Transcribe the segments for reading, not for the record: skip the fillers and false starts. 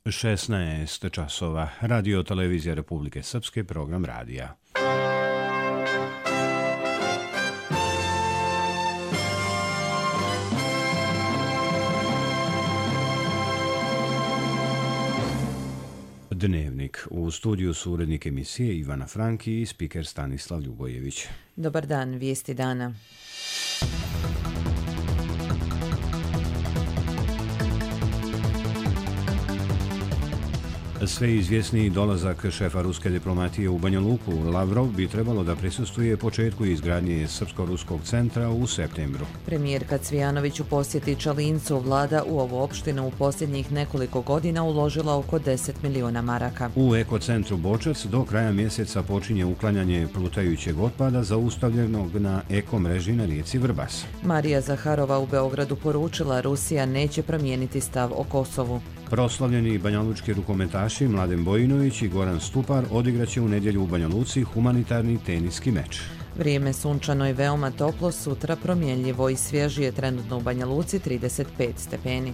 16 časova. Radio Televizija Republike Srpske, program radija. Dnevnik. U studiju su urednik emisije Ivana Franki i spiker Stanislav Ljubojević. Dobar dan, vijesti dana. Sve izvjesniji dolazak šefa ruske diplomatije u Banja Luku, Lavrov, bi trebalo da prisustvuje početku izgradnje Srpsko-ruskog centra u septembru. Premijerka Cvijanović u posjeti Čalincu, vlada u ovu opštinu u posljednjih nekoliko godina uložila oko 10 miliona maraka. U ekocentru Bočac do kraja mjeseca počinje uklanjanje plutajućeg otpada zaustavljenog na ekomreži na rijeci Vrbas. Marija Zaharova u Beogradu poručila Rusija neće promijeniti stav o Kosovu. Proslavljeni banjalučki rukometaši Mladen Bojinović i Goran Stupar odigraće u nedjelju u Banja Luci humanitarni teniski meč. Vrijeme sunčano i veoma toplo, sutra promjenljivo i svježije, trenutno u Banja Luci 35 stepeni.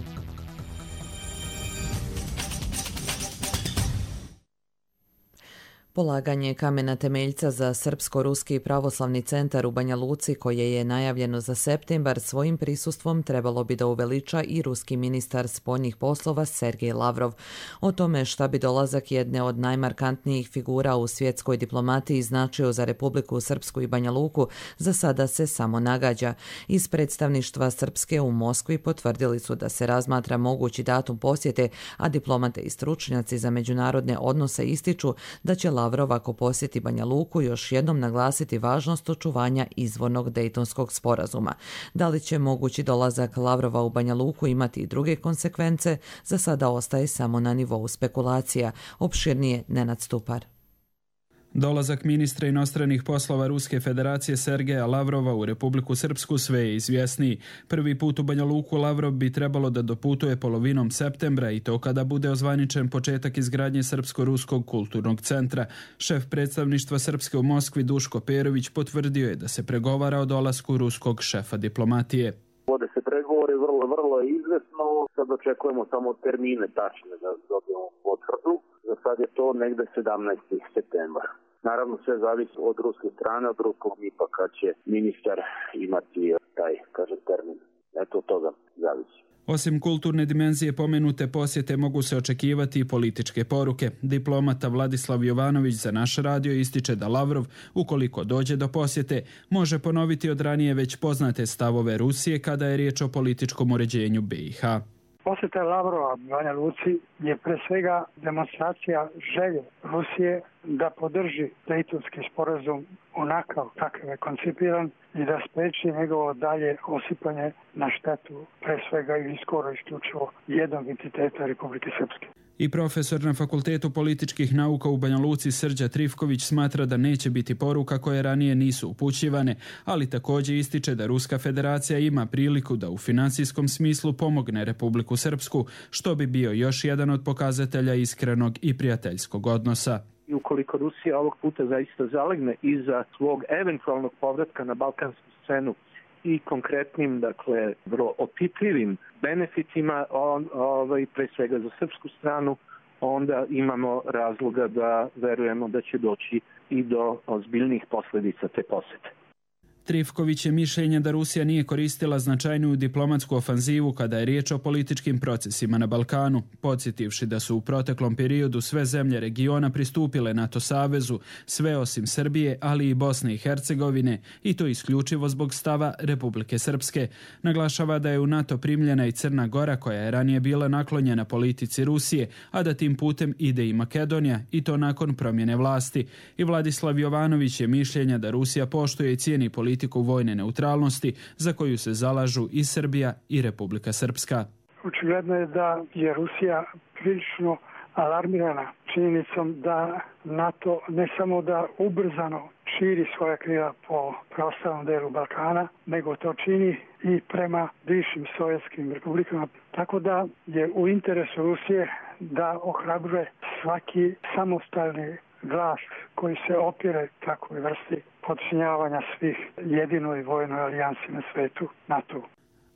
Polaganje kamena temeljca za Srpsko-ruski pravoslavni centar u Banja Luci, koje je najavljeno za septembar, svojim prisustvom trebalo bi da uveliča i ruski ministar spoljnih poslova Sergej Lavrov. O tome šta bi dolazak jedne od najmarkantnijih figura u svjetskoj diplomatiji značio za Republiku Srpsku i Banja Luku, za sada se samo nagađa. Iz predstavništva Srpske u Moskvi potvrdili su da se razmatra mogući datum posjete, a diplomate i stručnjaci za međunarodne odnose ističu da će Lavrov, ako posjeti Banja Luku, još jednom naglasiti važnost očuvanja izvornog Dejtonskog sporazuma. Da li će mogući dolazak Lavrova u Banja Luku imati i druge konsekvence, za sada ostaje samo na nivou spekulacija. Opširnije Nenad Stupar. Dolazak ministra inostranih poslova Ruske federacije Sergeja Lavrova u Republiku Srpsku sve je izvjesniji. Prvi put u Banja Luku Lavrov bi trebalo da doputuje polovinom septembra, i to kada bude ozvaničen početak izgradnje Srpsko-ruskog kulturnog centra. Šef predstavništva Srpske u Moskvi Duško Perović potvrdio je da se pregovara o dolasku ruskog šefa diplomatije. Vode se pregovori, vrlo je izvesno. Sad očekujemo samo termine tačne da dobijemo potvrdu. Za sad je to negde 17. septembar. Naravno sve zavisi od ruske strane, od ruskog MIP-a kad će ministar imati taj, termin. Eto od toga zavisi. Osim kulturne dimenzije pomenute posjete mogu se očekivati i političke poruke. Diplomata Vladislav Jovanović za naš radio ističe da Lavrov, ukoliko dođe do posjete, može ponoviti od ranije već poznate stavove Rusije kada je riječ o političkom uređenju BiH. Posjeta Lavrova Banja Luci je pre svega demonstracija želje Rusije da podrži Dejtonski sporazum onakav kakav je koncipiran i da spreči njegovo dalje osipanje na štetu pre svega i skoro isključivo jednog entiteta Republike Srpske. I profesor na Fakultetu političkih nauka u Banja Luci Srđa Trifković smatra da neće biti poruka koje ranije nisu upućivane, ali također ističe da Ruska federacija ima priliku da u financijskom smislu pomogne Republiku Srpsku, što bi bio još jedan od pokazatelja iskrenog i prijateljskog odnosa. I ukoliko Rusija ovog puta zaista zalegne iza svog eventualnog povratka na balkansku scenu i konkretnim, vrlo opipljivim benefitima, pre svega za srpsku stranu, onda imamo razloga da verujemo da će doći i do ozbiljnih posljedica te posjete. Trifković je mišljenja da Rusija nije koristila značajniju diplomatsku ofanzivu kada je riječ o političkim procesima na Balkanu, podsjetivši da su u proteklom periodu sve zemlje regiona pristupile NATO savezu, sve osim Srbije, ali i Bosne i Hercegovine, i to isključivo zbog stava Republike Srpske. Naglašava da je u NATO primljena i Crna Gora, koja je ranije bila naklonjena politici Rusije, a da tim putem ide i Makedonija, i to nakon promjene vlasti. I Vladislav Jovanović je mišljenja da Rusija poštuje i cijeni politiku vojne neutralnosti za koju se zalažu i Srbija i Republika Srpska. Očigledno je da je Rusija prilično alarmirana činjenicom da NATO ne samo da ubrzano širi svoja krila po preostalom delu Balkana, nego to čini i prema bivšim sovjetskim republikama. Tako da je u interesu Rusije da ohrabruje svaki samostalni glas koji se opire takvoj vrsti podčinjavanja svih jedinoj vojnoj alijansi na svetu, NATO.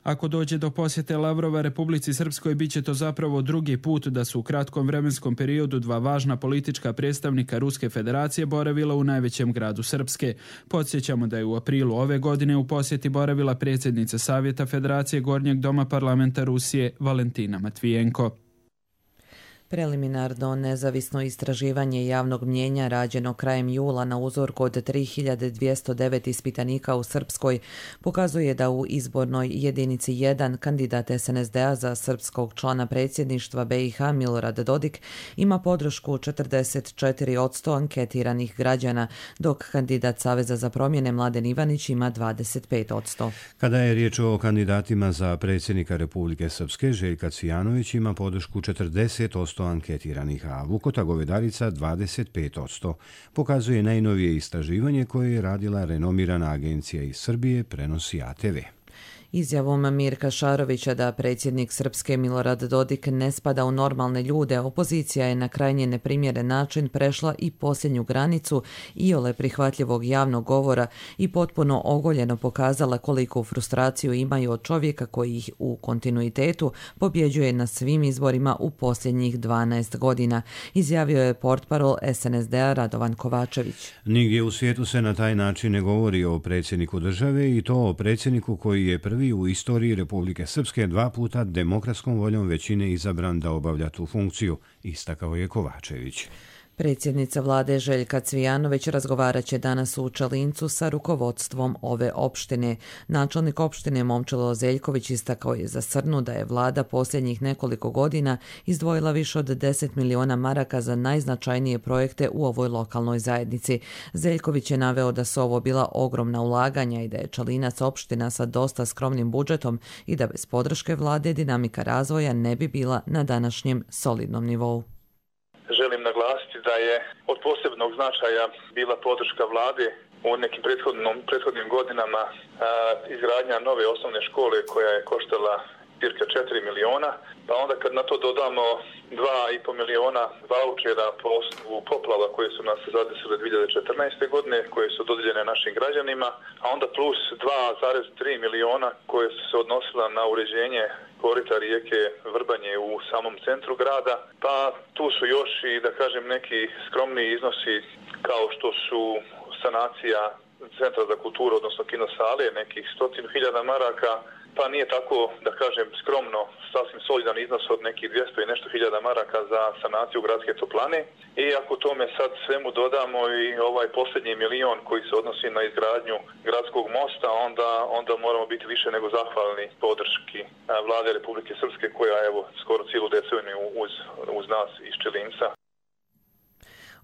Ako dođe do posjete Lavrova Republici Srpskoj, bit će to zapravo drugi put da su u kratkom vremenskom periodu dva važna politička predstavnika Ruske federacije boravila u najvećem gradu Srpske. Podsjećamo da je u aprilu ove godine u posjeti boravila predsjednica Savjeta Federacije Gornjeg doma parlamenta Rusije Valentina Matvijenko. Preliminarno nezavisno istraživanje javnog mnijenja rađeno krajem jula na uzorku od 3209 ispitanika u Srpskoj pokazuje da u izbornoj jedinici 1 kandidat SNSD-a za srpskog člana predsjedništva BiH Milorad Dodik ima podršku 44% anketiranih građana, dok kandidat Saveza za promjene Mladen Ivanić ima 25%. Kada je riječ o kandidatima za predsjednika Republike Srpske, Željka Cvijanović ima podršku 40% anketiranih, a Vukota Govedarica 25%, pokazuje najnovije istraživanje koje je radila renomirana agencija iz Srbije, prenosi ATV. Izjavom Mirka Šarovića da predsjednik Srpske Milorad Dodik ne spada u normalne ljude, opozicija je na krajnje neprimjeren način prešla i posljednju granicu iole prihvatljivog javnog govora i potpuno ogoljeno pokazala koliku frustraciju imaju od čovjeka koji ih u kontinuitetu pobjeđuje na svim izborima u posljednjih 12 godina, izjavio je portparol SNSD-a Radovan Kovačević. Nigdje u svijetu se na taj način ne govori o predsjedniku države, i to o predsjedniku koji je prvi u istoriji Republike Srpske 2 puta demokratskom voljom većine izabran da obavlja tu funkciju, istakao je Kovačević. Predsjednica vlade Željka Cvijanović razgovarat će danas u Čelincu sa rukovodstvom ove opštine. Načelnik opštine Momčilo Zeljković istakao je za Srnu da je vlada posljednjih nekoliko godina izdvojila više od 10 miliona maraka za najznačajnije projekte u ovoj lokalnoj zajednici. Zeljković je naveo da su ovo bila ogromna ulaganja i da je Čelinac opština sa dosta skromnim budžetom i da bez podrške vlade dinamika razvoja ne bi bila na današnjem solidnom nivou. Želim naglasiti da je od posebnog značaja bila podrška vlade u nekim prethodnim godinama izgradnja nove osnovne škole koja je koštala cirka 4 miliona, pa onda kad na to dodamo 2,5 miliona vaučera po osnovu poplava koje su nas zadesile 2014. godine, koje su dodijeljene našim građanima, a onda plus 2,3 miliona koje su se odnosila na uređenje korita rijeke Vrbanje u samom centru grada, pa tu su još i, da kažem, neki skromni iznosi kao što su sanacija Centra za kulturu, odnosno kinosale, nekih 100.000 maraka, pa nije tako, da kažem, skromno, sasvim solidan iznos od nekih 200 i nešto hiljada maraka za sanaciju gradske toplane. I ako tome sad svemu dodamo i ovaj posljednji milion koji se odnosi na izgradnju gradskog mosta, onda moramo biti više nego zahvalni podrški vlade Republike Srpske koja evo skoro cijelu deceniju uz nas iz Čelinca.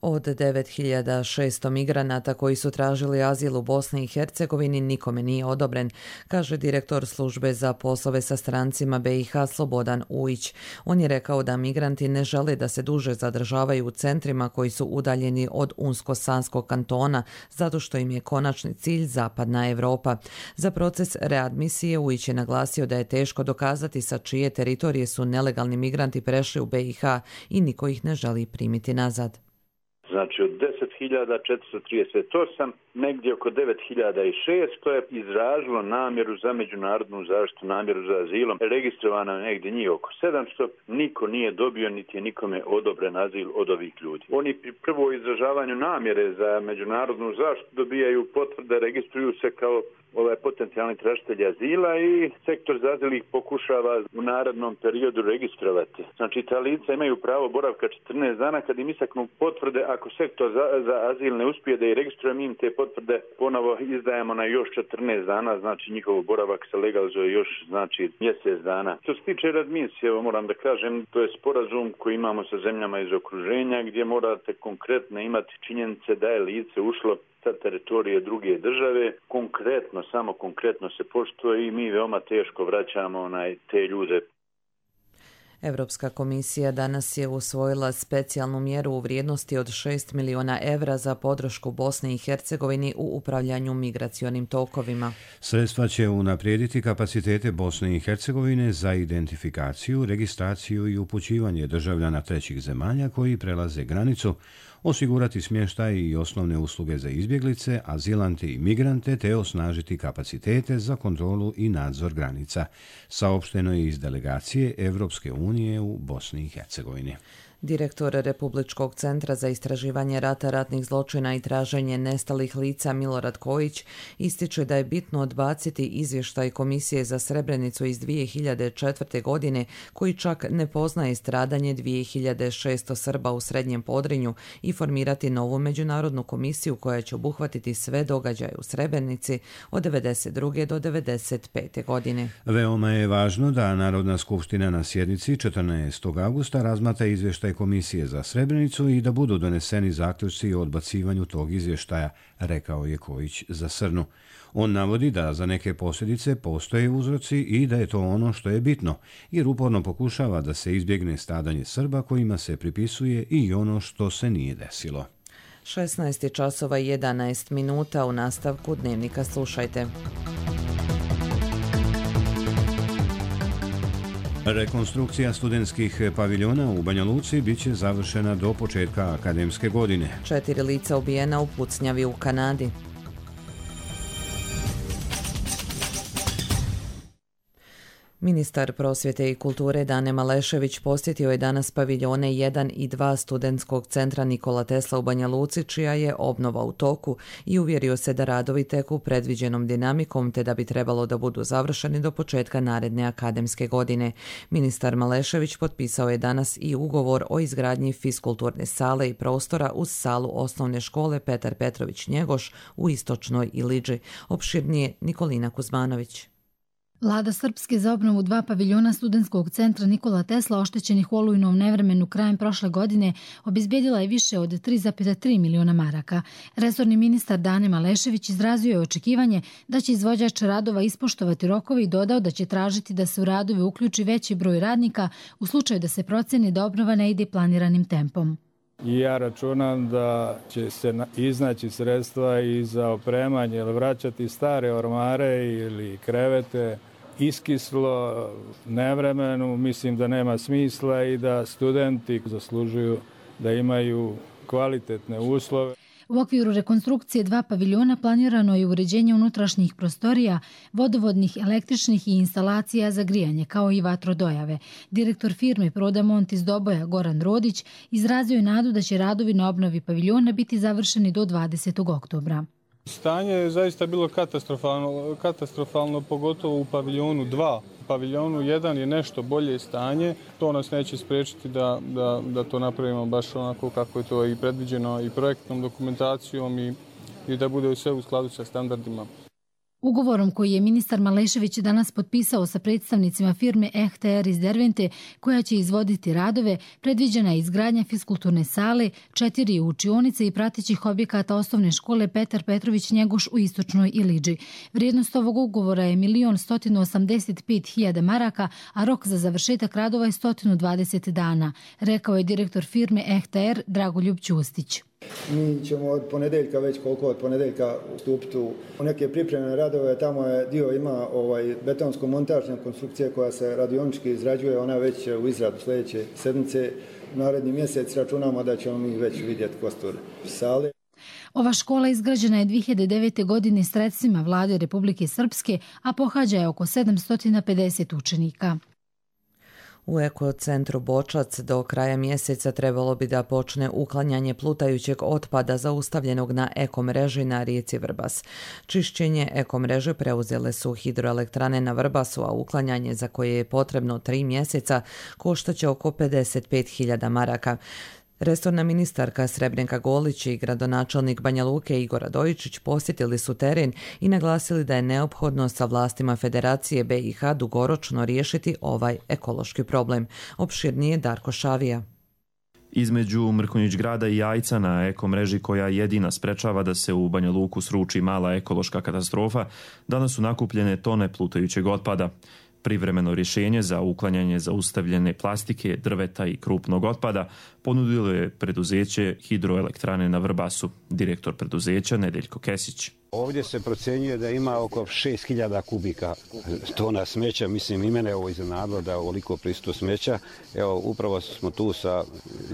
Od 9600 migranata koji su tražili azil u Bosni i Hercegovini nikome nije odobren, kaže direktor službe za poslove sa strancima BiH Slobodan Ujić. On je rekao da migranti ne žele da se duže zadržavaju u centrima koji su udaljeni od Unsko-Sanskog kantona, zato što im je konačni cilj Zapadna Evropa. Za proces readmisije Ujić je naglasio da je teško dokazati sa čije teritorije su nelegalni migranti prešli u BiH i niko ih ne želi primiti nazad. Znači od 10.438, negdje oko 9.600 je izražilo namjeru za međunarodnu zaštitu, namjeru za azilom. Registrovano je negdje njih oko 700, niko nije dobio niti je nikome odobren azil od ovih ljudi. Oni pri prvo izražavanju namjere za međunarodnu zaštitu dobijaju potvrde, registruju se kao potencijalni tražitelji azila i sektor za azil ih pokušava u narednom periodu registrovati. Znači ta lica imaju pravo boravka 14 dana kad im istaknu potvrde. Ako sektor za azil ne uspije da ih registruje, mi im te potvrde ponovo izdajemo na još 14 dana, znači njihov boravak se legalizuje još znači mjesec dana. Što se tiče readmisije, moram da kažem, to je sporazum koji imamo sa zemljama iz okruženja gdje morate konkretno imati činjenice da je lice ušlo sa teritorije druge države, samo konkretno se poštuje i mi veoma teško vraćamo te ljude. Europska komisija danas je usvojila specijalnu mjeru u vrijednosti od 6 milijuna evra za podršku Bosni i Hercegovini u upravljanju migracionim tokovima. Sredstva će unaprijediti kapacitete Bosne i Hercegovine za identifikaciju, registraciju i upućivanje državljana trećih zemalja koji prelaze granicu, osigurati smještaj i osnovne usluge za izbjeglice, azilante i migrante te osnažiti kapacitete za kontrolu i nadzor granica, saopšteno je iz delegacije Europske unije u Bosni i Hercegovini. Direktor Republičkog centra za istraživanje rata, ratnih zločina i traženje nestalih lica Milorad Kojić ističe da je bitno odbaciti izvještaj Komisije za Srebrenicu iz 2004. godine koji čak ne poznaje stradanje 2600 Srba u Srednjem Podrinju i formirati novu međunarodnu komisiju koja će obuhvatiti sve događaje u Srebrenici od 1992. do 1995. godine. Veoma je važno da Narodna skupština na sjednici 14. augusta razmatra izvještaj Komisije za Srebrenicu i da budu doneseni zaključci o odbacivanju tog izvještaja, rekao je Kojić za Srnu. On navodi da za neke posljedice postoje uzroci i da je to ono što je bitno, jer uporno pokušava da se izbjegne stradanje Srba kojima se pripisuje i ono što se nije desilo. 16 časova i 11 minuta u nastavku Dnevnika slušajte. Rekonstrukcija studentskih paviljona u Banja Luci bit će završena do početka akademske godine. 4 lica ubijena u pucnjavi u Kanadi. Ministar prosvjete i kulture Dane Malešević posjetio je danas paviljone 1 i 2 studentskog centra Nikola Tesla u Banja Luci, čija je obnova u toku, i uvjerio se da radovi teku predviđenom dinamikom te da bi trebalo da budu završeni do početka naredne akademske godine. Ministar Malešević potpisao je danas i ugovor o izgradnji fiskulturne sale i prostora uz salu osnovne škole Petar Petrović Njegoš u Istočnoj Ilidži. Opširnije Nikolina Kuzmanović. Vlada Srpske za obnovu 2 paviljona studentskog centra Nikola Tesla oštećenih u olujnom nevremenu krajem prošle godine obezbijedila je više od 3,3 miliona maraka. Resorni ministar Dane Malešević izrazio je očekivanje da će izvođač radova ispoštovati rokove i dodao da će tražiti da se u radove uključi veći broj radnika u slučaju da se proceni da obnova ne ide planiranim tempom. Ja računam da će se iznaći sredstva i za opremanje ili vraćati stare ormare ili krevete. Iskislo nevremenu, mislim da nema smisla i da studenti zaslužuju da imaju kvalitetne uslove. U okviru rekonstrukcije 2 paviljona planirano je uređenje unutrašnjih prostorija, vodovodnih, električnih i instalacija za grijanje, kao i vatrodojave. Direktor firme Prodamont iz Doboja, Goran Rodić, izrazio je nadu da će radovi na obnovi paviljona biti završeni do 20. oktobra. Stanje je zaista bilo katastrofalno, pogotovo u paviljonu 2. U paviljonu 1 je nešto bolje stanje, to nas neće spriječiti da to napravimo baš onako kako je to i predviđeno i projektnom dokumentacijom i da bude sve u skladu sa standardima. Ugovorom koji je ministar Malešević danas potpisao sa predstavnicima firme EHTR iz Dervente, koja će izvoditi radove, predviđena je izgradnja fiskulturne sale, 4 učionice i pratećih objekata osnovne škole Petar Petrović Njegoš u Istočnoj Ilidži. Vrijednost ovog ugovora je 1.185.000 maraka, a rok za završetak radova je 120 dana, rekao je direktor firme EHTR Dragoljub Ćustić. Mi ćemo od ponedeljka ustupiti u neke pripremne radove. Tamo je dio ima betonsko-montažna konstrukcija koja se radionički izrađuje, ona već u izradu sljedeće sedmice. Naredni mjesec računamo da ćemo mi već vidjeti kostur sale. Ova škola izgrađena je 2009. godine sredstvima Vlade Republike Srpske, a pohađa je oko 750 učenika. U ekocentru Bočac do kraja mjeseca trebalo bi da počne uklanjanje plutajućeg otpada zaustavljenog na ekomreži na rijeci Vrbas. Čišćenje ekomreže preuzele su hidroelektrane na Vrbasu, a uklanjanje za koje je potrebno 3 mjeseca koštaće oko 55.000 maraka. Resorna ministarka Srebrenka Golić i gradonačelnik Banja Luke Igor Radojičić posjetili su teren i naglasili da je neophodno sa vlastima Federacije BiH dugoročno riješiti ovaj ekološki problem. Opširnije Darko Šavija. Između Mrkonjić grada i Jajca na ekomreži koja jedina sprečava da se u Banja Luku sruči mala ekološka katastrofa, danas su nakupljene tone plutajućeg otpada. Privremeno rješenje za uklanjanje zaustavljene plastike, drveta i krupnog otpada ponudilo je preduzeće Hidroelektrane na Vrbasu, direktor preduzeća Nedeljko Kesić. Ovdje se procjenjuje da ima oko 6000 kubika tona smeća. Mislim, i mene ovo iznenadilo da je ovoliko prisustvo smeća. Evo, upravo smo tu sa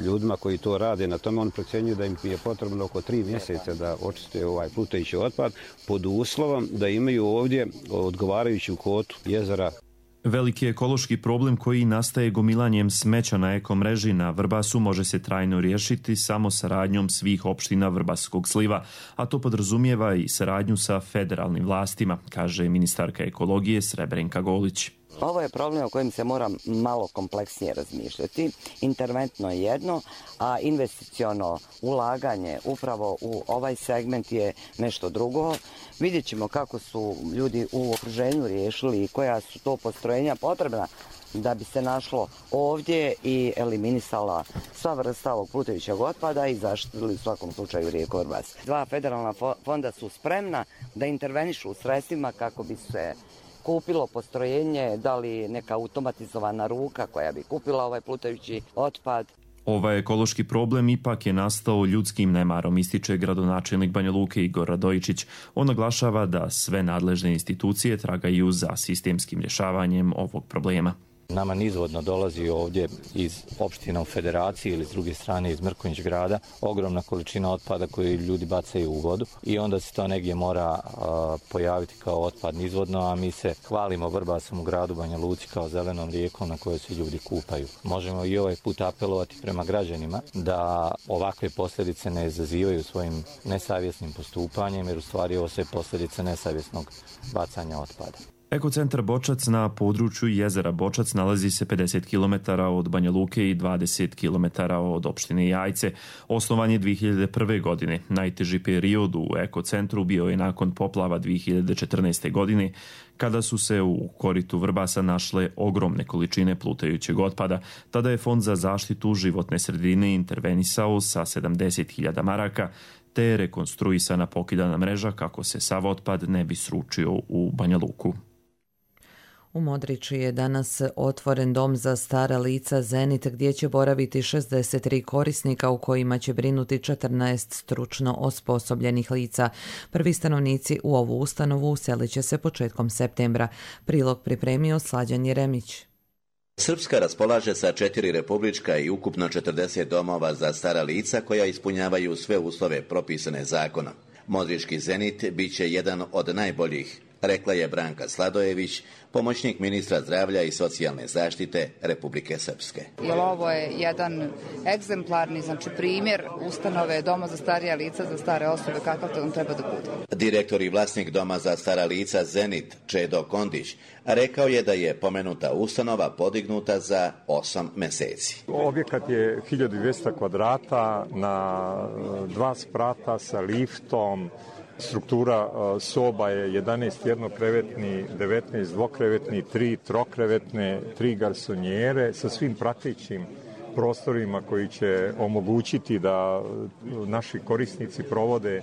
ljudima koji to rade. Na tome on procjenjuje da im je potrebno oko 3 mjeseca da očiste ovaj plutajući otpad pod uslovom da imaju ovdje odgovarajuću kvotu jezera. Veliki ekološki problem koji nastaje gomilanjem smeća na ekomreži na Vrbasu može se trajno riješiti samo saradnjom svih opština Vrbaskog sliva, a to podrazumijeva i saradnju sa federalnim vlastima, kaže ministarka ekologije Srebrenka Golić. Ovo je problem o kojem se mora malo kompleksnije razmišljati. Interventno je jedno, a investiciono ulaganje upravo u ovaj segment je nešto drugo. Vidjet ćemo kako su ljudi u okruženju riješili i koja su to postrojenja potrebna da bi se našlo ovdje i eliminisala sva vrsta ovog plutajućeg otpada i zaštitili u svakom slučaju rijeku Vrbas. 2 federalna fonda su spremna da intervenišu u sredstvima kako bi se kupilo postrojenje, da li neka automatizovana ruka koja bi kupila ovaj plutajući otpad. Ovaj ekološki problem ipak je nastao ljudskim nemarom, ističe gradonačelnik Banja Luke Igor Radojičić. On naglašava da sve nadležne institucije tragaju za sistemskim rješavanjem ovog problema. Nama nizvodno dolazi ovdje iz opština u Federaciji ili s druge strane iz Mrkonjić grada ogromna količina otpada koju ljudi bacaju u vodu i onda se to negdje mora pojaviti kao otpad nizvodno, a mi se hvalimo Vrbasom u gradu Banja Luci kao zelenom rijekom na kojoj se ljudi kupaju. Možemo i ovaj put apelovati prema građanima da ovakve posljedice ne izazivaju svojim nesavjesnim postupanjem, jer u stvari ovo sve posljedice nesavjesnog bacanja otpada. Ekocentar Bočac na području jezera Bočac nalazi se 50 km od Banja Luke i 20 km od opštine Jajce. Osnovan je 2001. godine. Najteži period u ekocentru bio je nakon poplava 2014. godine, kada su se u koritu Vrbasa našle ogromne količine plutajućeg otpada. Tada je Fond za zaštitu životne sredine intervenisao sa 70.000 maraka, te je rekonstruisana pokidana mreža kako se sav otpad ne bi sručio u Banja Luku. U Modriči je danas otvoren dom za stara lica Zenit gdje će boraviti 63 korisnika u kojima će brinuti 14 stručno osposobljenih lica. Prvi stanovnici u ovu ustanovu uselit će se početkom septembra. Prilog pripremio Slađan Jeremić. Srpska raspolaže sa 4 republička i ukupno 40 domova za stara lica koja ispunjavaju sve uslove propisane zakonom. Modrički Zenit bit će jedan od najboljih, rekla je Branka Sladojević, pomoćnik ministra zdravlja i socijalne zaštite Republike Srpske. Jer ovo je jedan egzemplarni, primjer ustanove Doma za starija lica, za stare osobe, kakav to on treba da bude. Direktor i vlasnik Doma za stara lica Zenit, Čedo Kondić, rekao je da je pomenuta ustanova podignuta za 8 mjeseci. Objekat je 1200 kvadrata na 2 sprata sa liftom. Struktura soba je 11 jednokrevetni, 19 dvokrevetni, 3 trokrevetne, 3 garsonjere sa svim pratećim prostorima koji će omogućiti da naši korisnici provode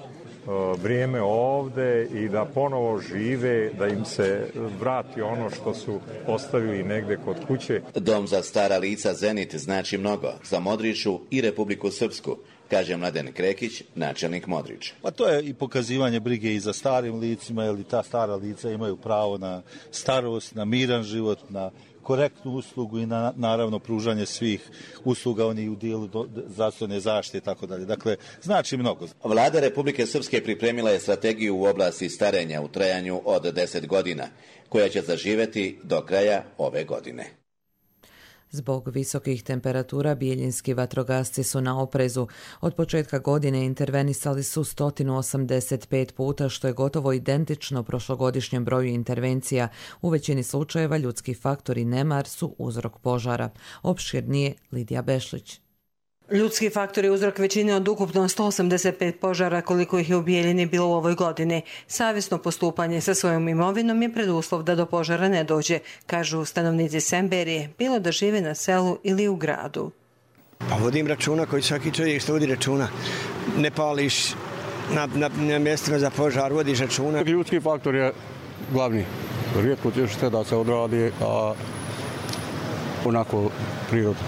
vrijeme ovde i da ponovo žive, da im se vrati ono što su ostavili negde kod kuće. Dom za stara lica Zenit znači mnogo za Modriču i Republiku Srpsku, kaže Mladen Krekić, načelnik Modriča. Pa to je i pokazivanje brige i za starim licima, jer ta stara lica imaju pravo na starost, na miran život, na korektnu uslugu i na, naravno, pružanje svih usluga, oni u dijelu zdravstvene zaštite i tako dalje. Dakle, znači mnogo. Vlada Republike Srpske pripremila je strategiju u oblasti starenja u trajanju od 10 godina, koja će zaživjeti do kraja ove godine. Zbog visokih temperatura bijeljinski vatrogasci su na oprezu. Od početka godine intervenisali su 185 puta, što je gotovo identično prošlogodišnjem broju intervencija. U većini slučajeva ljudski faktor i nemar su uzrok požara. Opširnije Lidija Bešlić. Ljudski faktor je uzrok većine od ukupno 185 požara koliko ih je u Bijeljini bilo u ovoj godini. Savjesno postupanje sa svojom imovinom je preduslov da do požara ne dođe, kažu stanovnici Semberije, bilo da žive na selu ili u gradu. Pa vodim računa koji svaki čovjek što vodi računa. Ne pališ na mjestima za požar, vodiš računa. Ljudski faktor je glavni. rijetko će što da se odradi, a onako prirodno.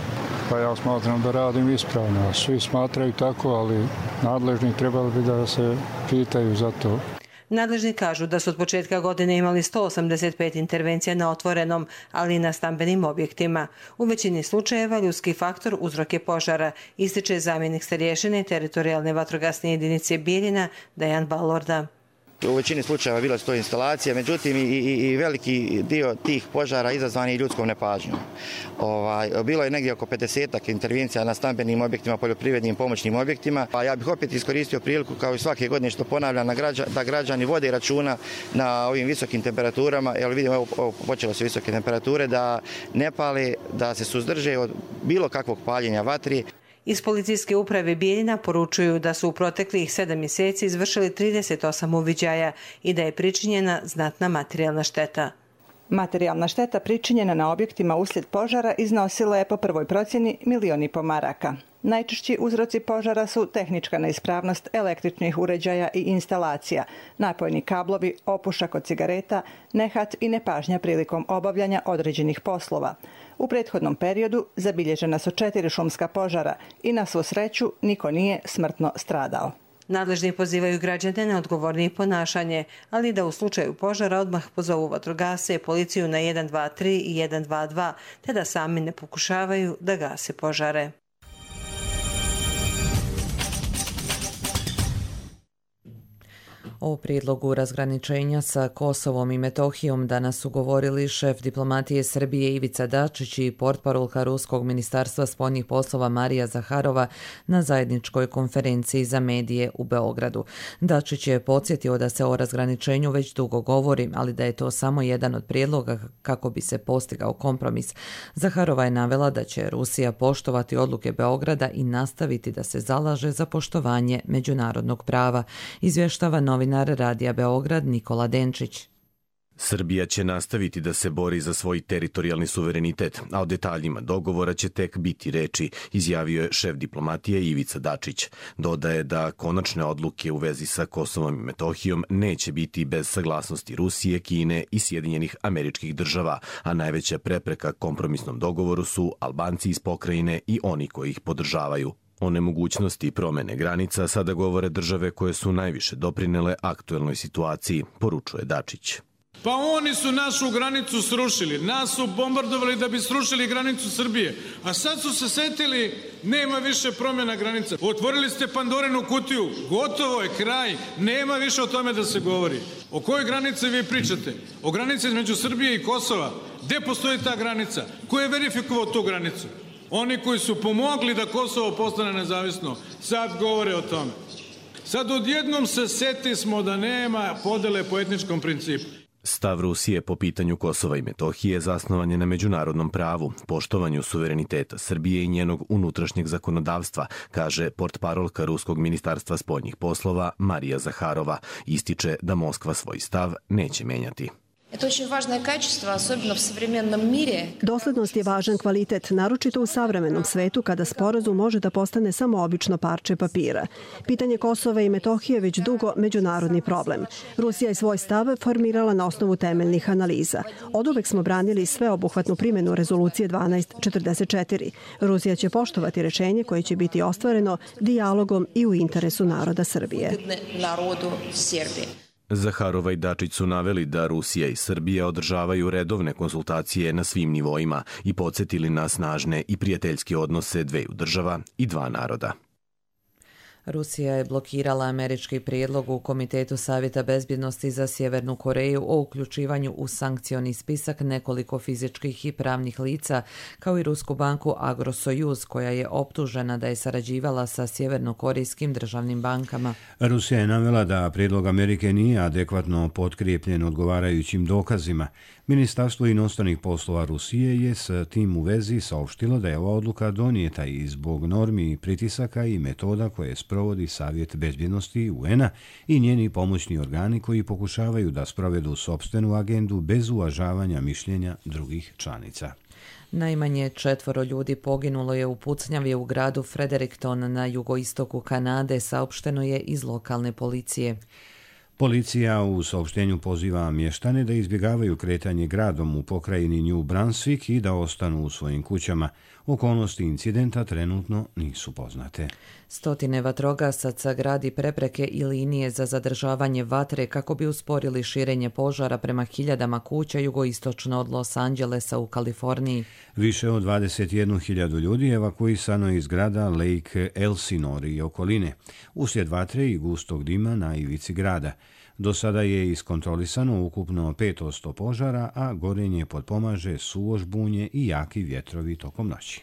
Pa ja smatram da radim ispravno. Svi smatraju tako, ali nadležni trebali bi da se pitaju za to. Nadležni kažu da su od početka godine imali 185 intervencija na otvorenom, ali i na stambenim objektima. U većini slučajeva ljudski faktor uzrok je požara, ističe zamjenik starješine teritorijalne vatrogasne jedinice Bijeljina Dejan Balorda. U većini slučajeva bila su to instalacije, međutim i veliki dio tih požara izazvani i ljudskom nepažnjom. Bilo je negdje oko 50 intervencija na stambenim objektima, poljoprivrednim pomoćnim objektima. A ja bih opet iskoristio priliku kao i svake godine što ponavljam da građani vode računa na ovim visokim temperaturama, jer vidimo evo počelo su visoke temperature, da ne pale, da se suzdrže od bilo kakvog paljenja vatri. Iz policijske uprave Bijeljina poručuju da su u proteklih 7 mjeseci izvršili 38 uviđaja i da je pričinjena znatna materijalna šteta. Materijalna šteta pričinjena na objektima uslijed požara iznosila je po prvoj procjeni 1,5 miliona maraka. Najčešći uzroci požara su tehnička neispravnost električnih uređaja i instalacija, napojni kablovi, opušak od cigareta, nehat i nepažnja prilikom obavljanja određenih poslova. U prethodnom periodu zabilježena su 4 šumska požara i na svu sreću niko nije smrtno stradao. Nadležni pozivaju građane na odgovornije ponašanje, ali da u slučaju požara odmah pozovu vatrogasce, policiju na 123 i 122, te da sami ne pokušavaju da gase požare. O prijedlogu razgraničenja sa Kosovom i Metohijom danas su govorili šef diplomatije Srbije Ivica Dačić i portparolka Ruskog ministarstva spoljnih poslova Marija Zaharova na zajedničkoj konferenciji za medije u Beogradu. Dačić je podsjetio da se o razgraničenju već dugo govori, ali da je to samo jedan od prijedloga kako bi se postigao kompromis. Zaharova je navela da će Rusija poštovati odluke Beograda i nastaviti da se zalaže za poštovanje međunarodnog prava, izvještava novinar Radija Beograd Nikola Denčić. Srbija će nastaviti da se bori za svoj teritorijalni suverenitet, a o detaljima dogovora će tek biti reči, izjavio je šef diplomatije Ivica Dačić. Dodaje da konačne odluke u vezi sa Kosovom i Metohijom neće biti bez saglasnosti Rusije, Kine i Sjedinjenih Američkih Država, a najveća prepreka kompromisnom dogovoru su Albanci iz pokrajine i oni koji ih podržavaju. O nemogućnosti promene granica sada govore države koje su najviše doprinele aktuelnoj situaciji, poručuje Dačić. Pa oni su našu granicu srušili, nas su bombardovali da bi srušili granicu Srbije, a sad su se setili nema više promjena granica. Otvorili ste Pandorinu kutiju, gotovo je kraj, nema više o tome da se govori. O kojoj granici vi pričate? O granici između Srbije i Kosova? Gde postoji ta granica? Ko je verifikovao tu granicu? Oni koji su pomogli da Kosovo postane nezavisno, sad govore o tome. Sad odjednom se setismo da nema podele po etničkom principu. Stav Rusije po pitanju Kosova i Metohije zasnovan je na međunarodnom pravu, poštovanju suvereniteta Srbije i njenog unutrašnjeg zakonodavstva, kaže portparolka Ruskog ministarstva spoljnih poslova Marija Zaharova. Ističe da Moskva svoj stav neće menjati. Doslednost je važan kvalitet, naročito u savremenom svetu kada sporazum može da postane samo obično parče papira. Pitanje Kosova i Metohije već dugo međunarodni problem. Rusija je svoj stav formirala na osnovu temeljnih analiza. Oduvek smo branili sveobuhvatnu primjenu rezolucije 1244. Rusija će poštovati rešenje koje će biti ostvareno dijalogom i u interesu naroda Srbije. Zaharova i Dačić su naveli da Rusija i Srbija održavaju redovne konsultacije na svim nivoima i podsjetili na snažne i prijateljske odnose dveju država i dva naroda. Rusija je blokirala američki prijedlog u Komitetu Savjeta bezbjednosti za Sjevernu Koreju o uključivanju u sankcioni spisak nekoliko fizičkih i pravnih lica, kao i rusku banku Agrosojuz, koja je optužena da je sarađivala sa sjevernokorejskim državnim bankama. Rusija je navela da prijedlog Amerike nije adekvatno potkrijepljen odgovarajućim dokazima. Ministarstvo inostranih poslova Rusije je s tim u vezi saopštilo da je ova odluka donijeta i zbog normi i pritisaka i metoda koje sprovodi Savjet bezbjednosti UN-a i njeni pomoćni organi koji pokušavaju da sprovedu sopstvenu agendu bez uvažavanja mišljenja drugih članica. Najmanje 4 ljudi poginulo je u pucnjavi u gradu Fredericton na jugoistoku Kanade, saopšteno je iz lokalne policije. Policija u saopštenju poziva mještane da izbjegavaju kretanje gradom u pokrajini New Brunswick i da ostanu u svojim kućama. Okolnosti incidenta trenutno nisu poznate. Stotine vatrogasaca gradi prepreke i linije za zadržavanje vatre kako bi usporili širenje požara prema hiljadama kuća jugoistočno od Los Angelesa u Kaliforniji. Više od 21.000 ljudi evakuisano iz grada Lake Elsinore i okoline, uslijed vatre i gustog dima na ivici grada. Do sada je iskontrolisano ukupno 5% požara, a gorenje potpomaže suvo žbunje i jaki vjetrovi tokom noći.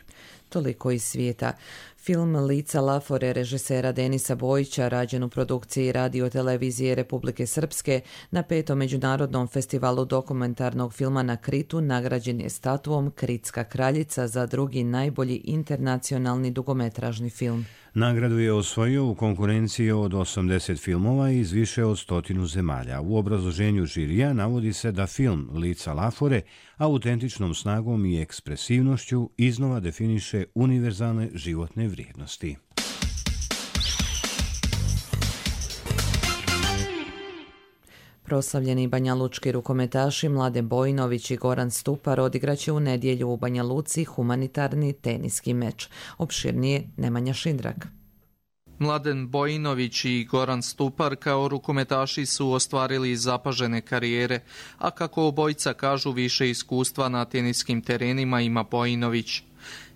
Toliko iz svijeta. Film Lica Lafore režisera Denisa Bojića, rađen u produkciji Radio-televizije Republike Srpske, na 5. međunarodnom festivalu dokumentarnog filma na Kritu nagrađen je statuom Kritska kraljica za drugi najbolji internacionalni dugometražni film. Nagradu je osvojio u konkurenciji od 80 filmova iz više od 100 zemalja. U obrazloženju žirija navodi se da film Lica Lafore autentičnom snagom i ekspresivnošću iznova definiše univerzalne životne vrijednosti. Proslavljeni banjalučki rukometaši Mladen Bojinović i Goran Stupar odigraće u nedjelju u Banja Luci humanitarni teniski meč. Opširnije Nemanja Šindrak. Mladen Bojinović i Goran Stupar kao rukometaši su ostvarili zapažene karijere, a kako obojica kažu više iskustva na teniskim terenima ima Bojinović.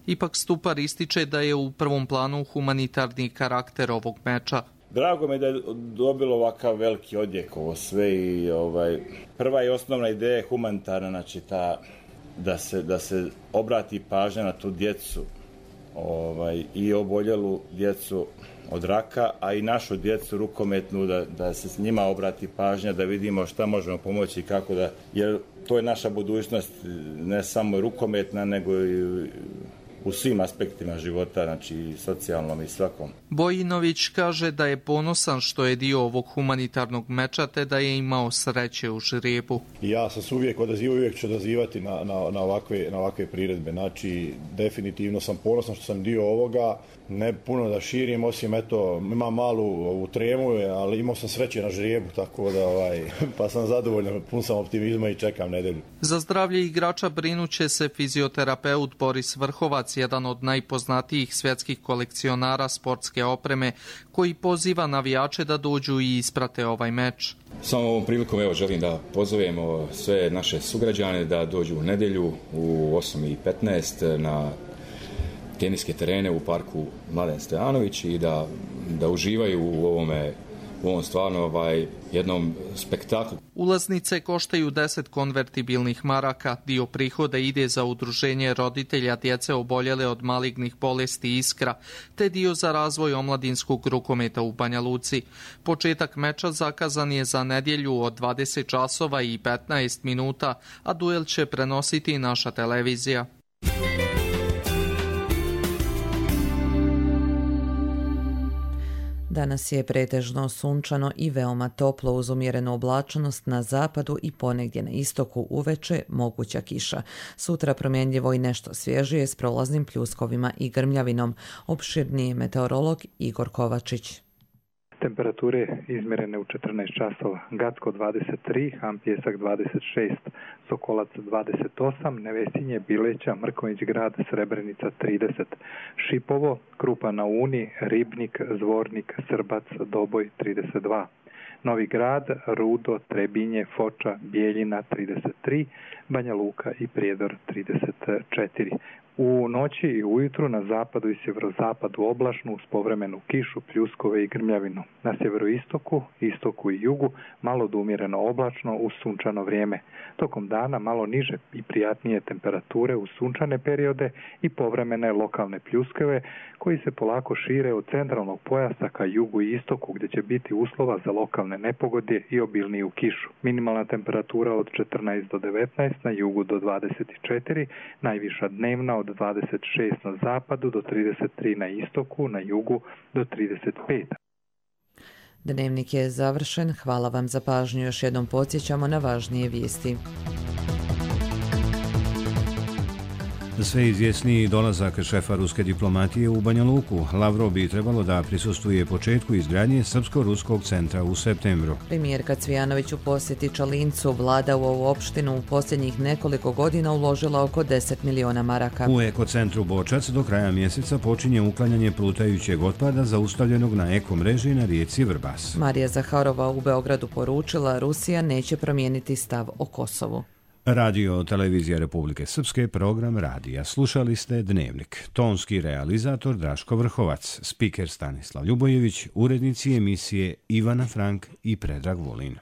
Ipak Stupar ističe da je u prvom planu humanitarni karakter ovog meča. Drago me da je dobilo ovakav veliki odjek ovo sve i prva i osnovna ideja je humanitarna, znači da se obrati pažnja na tu djecu i oboljelu djecu od raka, a i našu djecu rukometnu da se s njima obrati pažnja, da vidimo šta možemo pomoći i kako da, jer to je naša budućnost, ne samo rukometna, nego i u svim aspektima života, znači i socijalnom i svakom. Bojinović kaže da je ponosan što je dio ovog humanitarnog meča te da je imao sreće u žrebu. Ja sam se uvijek odazivao, uvijek ću odazivati na ovakve priredbe. Znači, definitivno sam ponosan što sam dio ovoga. Ne puno da širim, osim imam malu ovu tremu, ali imao sam sreće na žrebu, tako da pa sam zadovoljan, pun sam optimizma i čekam nedelju. Za zdravlje igrača brinuće se fizioterapeut Boris Vrhovac, jedan od najpoznatijih svjetskih kolekcionara sportske opreme, koji poziva navijače da dođu i isprate ovaj meč. Samo ovom prilikom želim da pozovemo sve naše sugrađane da dođu u nedjelju u 8:15 na teniske terene u parku Mladen Stojanović i da uživaju u ovom stvarno jednom spektaklu. Ulaznice koštaju 10 konvertibilnih maraka, dio prihoda ide za udruženje roditelja djece oboljele od malignih bolesti Iskra, te dio za razvoj omladinskog rukometa u Banja Luci. Početak meča zakazan je za nedjelju od 20 časova i 15 minuta, a duel će prenositi naša televizija. Danas je pretežno sunčano i veoma toplo uz umjerenu oblačnost na zapadu i ponegdje na istoku uveče moguća kiša. Sutra promjenljivo i nešto svježije s prolaznim pljuskovima i grmljavinom. Opširniji meteorolog Igor Kovačić. Temperature izmjerene u 14 časova. Gacko 23, Hampjesak 26, Sokolac 28, Nevesinje, Bileća, Mrkonjić grad, Srebrenica 30, Šipovo, Krupa na Uni, Ribnik, Zvornik, Srbac, Doboj 32. Novi grad, Rudo, Trebinje, Foča, Bijeljina 33, Banja Luka i Prijedor 34. U noći i ujutru na zapadu i sjeverozapadu oblačno uz povremenu kišu, pljuskove i grmljavinu. Na sjeveroistoku, istoku i jugu malo do umjereno oblačno uz sunčano vrijeme. Tokom dana malo niže i prijatnije temperature uz sunčane periode i povremene lokalne pljuskove koji se polako šire od centralnog pojasa ka jugu i istoku gdje će biti uslova za lokalne nepogode i obilniju kišu. Minimalna temperatura od 14 do 19, na jugu do 24, najviša dnevna od 26 na zapadu do 33 na istoku, na jugu do 35. Dnevnik je završen. Hvala vam za pažnju. Još jednom podsjećamo na važnije vijesti. Sve izvjesniji dolazak šefa ruske diplomatije u Banja Luku. Lavrov bi trebalo da prisustuje početku izgradnje Srpsko-ruskog centra u septembru. Premijerka Cvijanović u posjeti Čalincu. Vlada u ovu opštinu u posljednjih nekoliko godina uložila oko 10 miliona maraka. U ekocentru Bočac do kraja mjeseca počinje uklanjanje plutajućeg otpada zaustavljenog na ekomreži na rijeci Vrbas. Marija Zaharova u Beogradu poručila Rusija neće promijeniti stav o Kosovu. Radio Televizija Republike Srpske, program radija. Slušali ste Dnevnik. Tonski realizator Draško Vrhovac, spiker Stanislav Ljubojević, urednici emisije Ivana Frank i Predrag Vulin.